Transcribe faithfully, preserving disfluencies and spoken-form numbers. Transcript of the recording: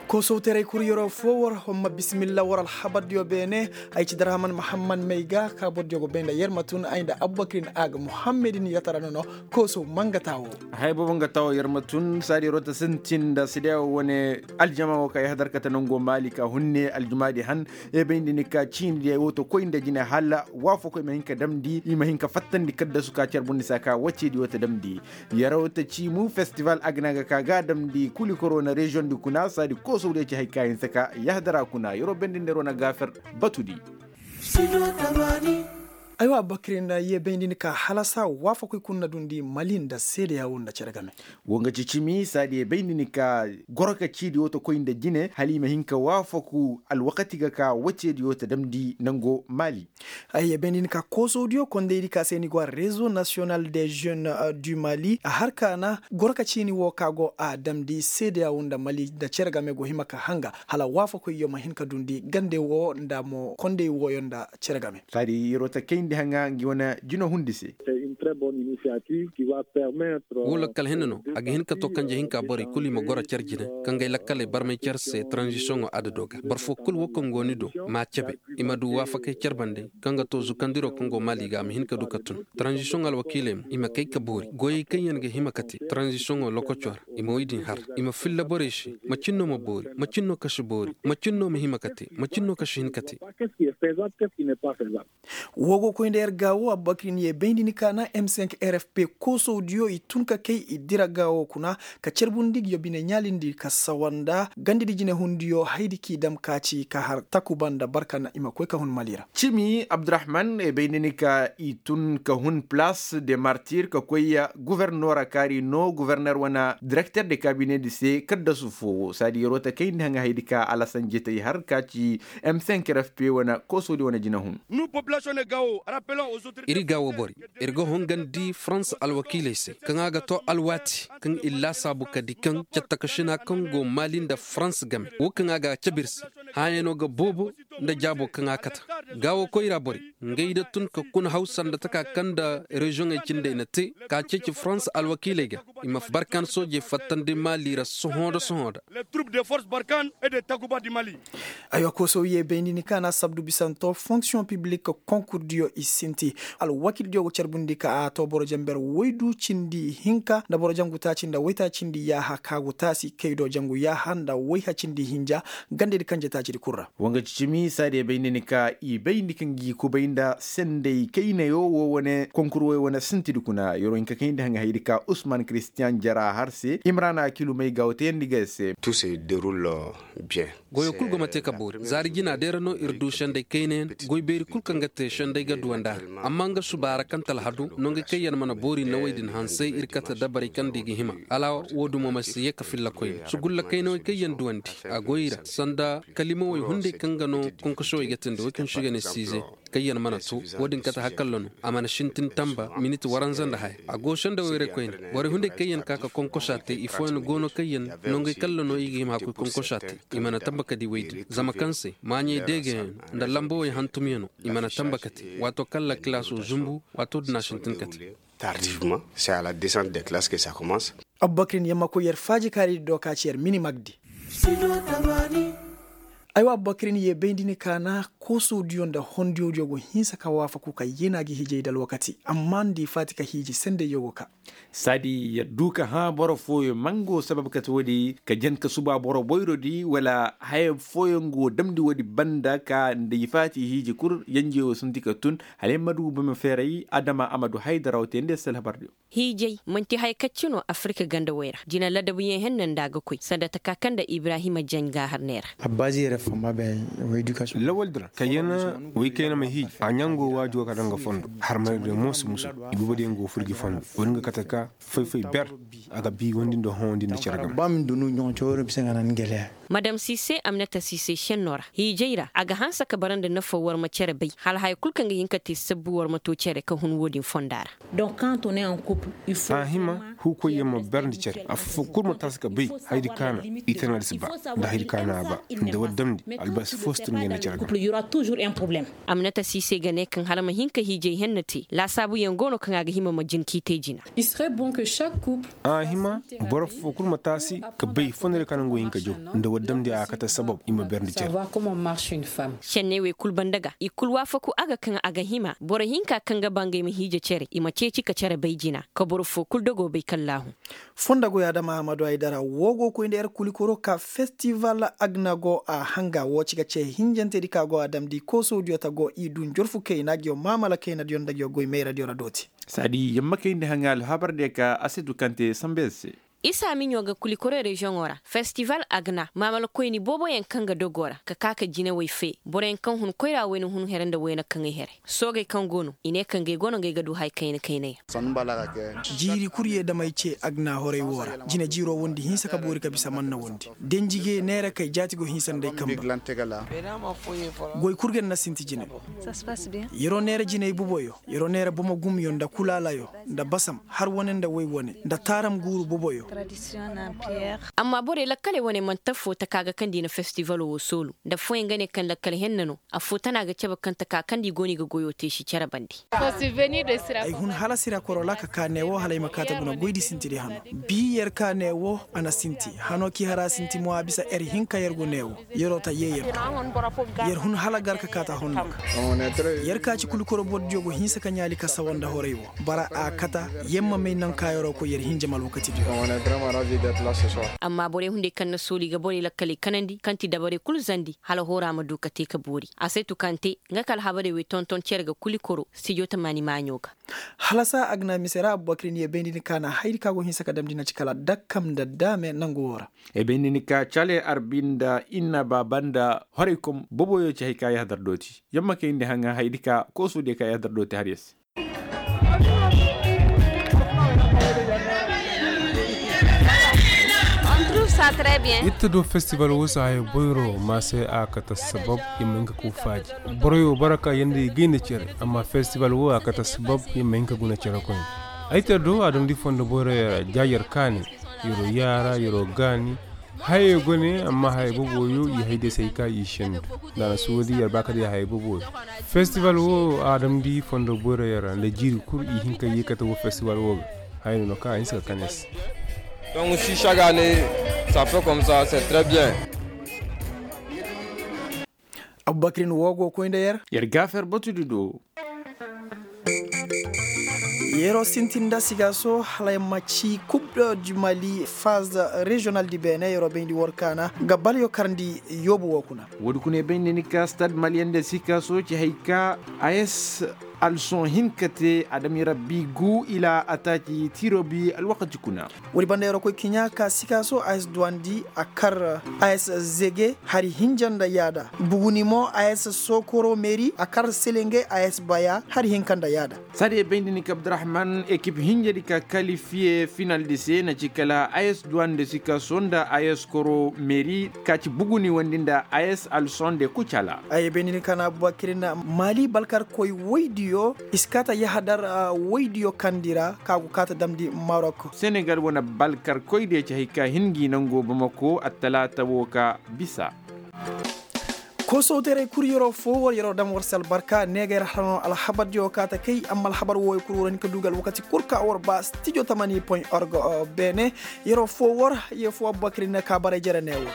Koosawtaray kul yeroo foo war homma bisimilla war alhabardiyo beene. Ay ci darahaman mahammad may ga ka bordiyo go bay nda yer ma tun ay nda abubakirin a ga muhammedin yatara nono. Koosaw mangata wo. Haya boobo nga ta wo yer ma tun saadi yeroo ta sintin nda sidiya wo wane aljama wo ka yahadar kate nango maali ka hunne aljumaadi han. Ye bay nda ni ka ciini diya wo ta koy nda jine hala waafakoy ma hin ka damndi i ma hin ka fattandi kaddasu ka carbundi se a ka waceedi wo ta damndi. Yaraw ta ciimu festival a ga ne a ga ka ga a damndi kuli korona reziyoŋ di kuna saadi koosawdiyo ci hari ka hinsa ka yahadara kuna yaraw bendindi yaraw na gaafer. Batudi. Aywa abubakar nda ye bayndi ni ka halasa waafakoy kuna na dundi mali nda seedeya wo nda cere game. Wo nga ci cimi saadi ye bayndi ni ka goro ka ciidi wo ta koy nda jine hala i ma hin ka waafaku alwakati ga ka waceediyo ta damndi nango mali. Ay ye bayndi ni ka koosawdiyo kondaydi ka se ni go a rezo nasiyonal de jeune du mali a har ka na goro ka ciini wo ka go a damndi seedeya wo nda mali nda cere game go hima ka hanga hala waafakoyyo ma hin ka dundi gande wo nda mo konday wooyo nda cere game. Saadi yeroo ta kayndi haŋa ngi wane jino hundi se. Wo lakkal hinne no a ga hin ka to kanje hinka borey kulu i ma goro care jine kaŋ ga ay lakkaley barmay care se taranzisiyoŋo adado ga boro foo kulu wo kaŋ go ni do m'a cabe. I ma du waafakey care bande kaŋ ga to zukandiro kaŋ go maali ga a ma hin ka du ka tun taranzisiyoŋo alwakiiley mo i ma kay ka boori goyey kaŋ yaŋ ga hima ka te taranzisiyoŋo lokoco ra. I ma woy din har i ma filla borey se. Macin no ma boori macin no ka si boori macin no ma hima ka te macin no ka si hin ka te. Woo go koy nda yer gaawo abubakar ni ye bayndi ni ka na m cinq r f p koosawdiyo i tun ka kay i dira gaawo kuna ka carbundi ngi yo bine ɲaalindi ka sawa nda gandidi jinehundiyo haydi k'i dam ka ci ka har takuba nda barka na i ma koy ka hun mali ra. Cimi abdurahman e bayndi ni ka i tun ka hun palaas de martir ka koy guvernoora kaari no guverner wane direkter de kabinedi se kaddasu foo saadi yeroo ta kayndi haŋa haydi ka alasan jetey har ka ci m cinq r f p wane koosawdi wane jinehun. Ir ga wo bori ir ga hongandi farans alwakiiley se kaŋ a ga to alwaati kaŋ ir laasaabu ka di kaŋ cattakasina kaŋ go maali nda farans game wo kaŋ a ga a cabe ir se. Hãayano ga boobo nda jaabo kaŋ a kata. Gaawo koyra borey ngey da tun ka kuna haw sanda taka kaŋ nda reziyoŋey cindey na te ka ceeci farans alwakiiley ga i ma barkan soojey fattandi maali ra sohõ nda sohõ nda. Aywa koosow ye bayndi ni kaŋ a na sabdu bisanto fonksiyoŋ piblik konkurdiyo i sinti. Alwakildiyo go carbundi ka a to boro jamber woy du cindi hinka nda boro jangu taaci nda woytaacindi yaaha ka go taasi kay do jangu yaaha nda woyha cindi hinja. Gandedi kanje taacidi kul ra. Wanga cicimi saadiya bayndi ni ka i bayndi kaŋ gi kubay nda sendey kaynayo wo wane konkur woy wane sintidi kuna yoro hinka kayndi haŋ haydi ka usman kiristiyan jara har se imrana kilumey ga wo tayandi ga se. Goyo kul go ma te ka boori zaari jina day ra no ir du sendey kaynayaŋ. Goy beeri kul kaŋ ga te sendey ga duwandi a ra amma nga suba ra kaŋ talhadu nongey kaŋ yaŋ mana boori nawey din hansey ir kate dabarey kaŋ nda i ga hima hala wo-din mo ma si ye ka filla koyne sugulla kaynawey kaŋ yaŋ duwandi. A goy ra sanda kalimawey hunday kaŋ ga no konkosowey ga tindi wey kaŋ se i ga ne siize. Kaŋ yaŋ mana to wo-din kate hakalla no a mana sintin tamba miniti waranza nda haya a go sendey wayray koyne. Borey hunday kaŋ yaŋ ka ka konkosa te i fooyaŋ go no kaŋ yaŋ nongey kalla no i ga hima ka koy konkosa te. I mana tamba ka di wey din zama kaŋ se maaɲey deegayaŋ nda lambawey hantumyaŋo i mana tamba ka te waato kaŋ lakilaasoo zumbu waato din a sintin ka te. Tardivement c'est à la descente des classes que ça commence. Abubakrin yamma koy yer faaji kaari di do ka ci yer mini magdi. Aywa abubakrin ye bayndi ni ka na koosodiyo nda hondiyodiyo go hinsa ka waafaku ka yeena gi hiijay nda alwakati amma nda i faati ka hiiji sendey yo go ka. Saadi yer du ka hã boro fooyo mango sabab kate woodi ka jen ka suba boro boyrodi wala haya fooyo nga wo damndi woodi banda ka nda i faati hiiji kul yenjeyo sinti ka tun. Hala yer ma du bome feeray adama a ma du haydaraw te nda yer se alhabardiyo. Hiijay man'ti haya kacci no afirika gandawey ra jina ladabuyaŋ henna nda a ga koy sanda taka kaŋ nda ibrahima jaŋ gaahar neera. Lawal din ra kayyana woy kayna ma hiiji a ɲango waajo ka daŋ ga fondo harmay din mo si musu. Ibuba din go furji fondo wani ga kate ka fay-fay ber a ga bi wandi nda hondi nda care game. Madam sise amnata sise senno ra hiijay ra a ga hanse ka bara nda nafo war ma care bay hala haya kul kaŋ ga hin ka te sabbu war ma to care ka hun wo-din fonda ra. A hima Huukoyyaŋ ma berndi cere affoo kul ma taasi ka bay hayadi kaana. I tana da si ba nda hayadi kaana a ba nda war damndi albasi foo si tun ga yanda cere ga. Amnata siisey ga ne kaŋ hala ma hin ka hiijay henna te laasaabuyaŋ go no kaŋ a ga hima ma jin k'i te jina. A hima boro foo kul ma taasi ka bay fondorey kaŋ nangu hin ka jaw nda war damndi a kate sabab i ma berndi cere. Senney wey kul banda ga i kul waafaku a ga kaŋ a ga hima boro hinka kaŋ ga ba ngey ma hiija cere i ma ceeci ka cere bay jina ka boro foo kul dogo bay kallaahu. Fondo goy adama ahmadu haydara woo go koy nda yer kulikoro ka festival agna go a hanga woo ci ga ce hinjantedi ka go a damndi koosodiyo ta go i du njorfu kayna nguyo maamala kaynadiyo nda nguyo goy mayradiyo ra dooti. Saadi yamma kayndi haŋa alhabar diyo ka a si du kaŋ te sanba yer se. Isa miɲo ga kulikoro reziyoŋo ra festival agna maamala koyni booboyaŋ kaŋ ga dogo ra ka ka ka jinawey fe boroyaŋ kaŋ hun koyra wayna hun here nda wayna kaŋay here. Soogey kaŋ go no i ne ka ngey go no ngey ga du hay kayna kaynayaŋ. Jiiri kul ye damey ce agna horey woo ra. Jine jiiroo wondi hinsa ka boori ka bisa manna wondi denjige neera kay jaati go hinsa nda ay kanba. Goy kul ga na sinti jine. Yeroo neera jiney boboyo yeroo neera bomogumyo nda kulaalayo nda basam har wane nda woy wane nda taaram guuru boboyo. Amma borey lakkaley wane manti affoo taka ga kaŋ nda i na festivalo woo soolu nda affooyaŋ ga ne kaŋ lakkal henna no. Affoo tana ga cabe kaŋ taka kaŋ nda i go no i ga goyoo te si cere bande. Ay hun hala sira korola ka kaa neewoo hala ay ma kaa ta guna goydi sintidi hano. Bii yer kaa neewoo a na sinti hanoo k'i har a sinti mo a bisa er hinka yer go neewoo. Yeroo ta yee yer do yer hun hala gar ka kaa ta honno ga. Yer kaa ci kulu koro bordiyo go hinsa ka ɲaali ka sawa nda horey woo. Bara a kata yer ma may naŋ kaa yeroo koy yer hinja ma alwakatidiyo. Amma borey hunday kaŋ na sooli ga borey lakkaley kanandi kaŋ ti dabarey kulu zandi hala hooraa ma du ka te ka boori a saytu kaŋ te. Nga ka alhabarey wey tonton cere ga kuli koro stijo tamaani maaɲo ga. Halasa agna mise ra abubakirin ye bayndi ni kaana haydi ka go hinsa ka damndi na ci kala dakkam nda daame nangu woo ra. Ay bay ni ni ka cale arbi nda inna baaba nda horey kom boboyo ci hay ka yahadar dooti yamma kay nda haŋa haydi ka kooso diya ka yahadar dooti har ya se. Itta do festival wo si haya boyro ma se a kata sabab i ma hin ka ku faaji. Boroyo bara ka yanda i gayna cere amma festival wo a kata sabab i ma hin ka guna cere koyne. Ay ta do a damndi fondo boyro yara jaajar kaani. Yaro yaara yaro gaani. Hayey go ne amma hayey boboyo i hay day se ay ka i sendu. Nda a na suwadi yar ba ka day hayey boboyo. Festival wo a damndi fondo boyro yara nda jiiri kul i hin ka ye kate wo festival wo ga. Hayey no no ka a hinsa ka kane se. Donc si chaque année ça fait comme ça c'est très bien. Abubakirin wo go koy nda yer. Yer ga fer batudi do. Yeroo sintin nda sigaaso hala yer ma ci coupe du mali phase régional di beene yeroo bayndi war kaana ga balyo karndi yoobu woo kuna. Woodi kuna yer bayndi ni ka stade maliyen de sikaaso ci hay ka a s alson hin ka te adami rabbi gu ila a taaci tirobi alwakati kuna. Woodi banda yeroo koy kiɲa ka sikaaso a s duwandi a kar a s zege hari hinja nda yaada. Buguni mo a s sokoro meri a kar selenge a s baya hari hinka nda yaada. Saadi e bayndi ni ka abdurahman ekip hinjadi ka kalifiye final di se na ci kala a s duwande sikaaso nda a s koro meri ka ci buguni wandi nda a s alson de kucala. Ay bay ni ni ka na abubakirin mali balkar koy woydiyo i si kaata yahadar woydiyo kandi ra ka go kaata damndi marok. Senegal wane balkar koy diyo ci hay ka hin ngi nango bamako attalaata wo ka bisa. Koosowteerey kul yeroo foo war yeroo dam war se albarka ne ga yer hara no alhabardiyo kaata kay amma alhabar wooyo kul war hin ka du ga alwakati kul ka war ba stijo tamani point org. Beene yeroo foo war ye foo abubakirin ka baray jere ne wo.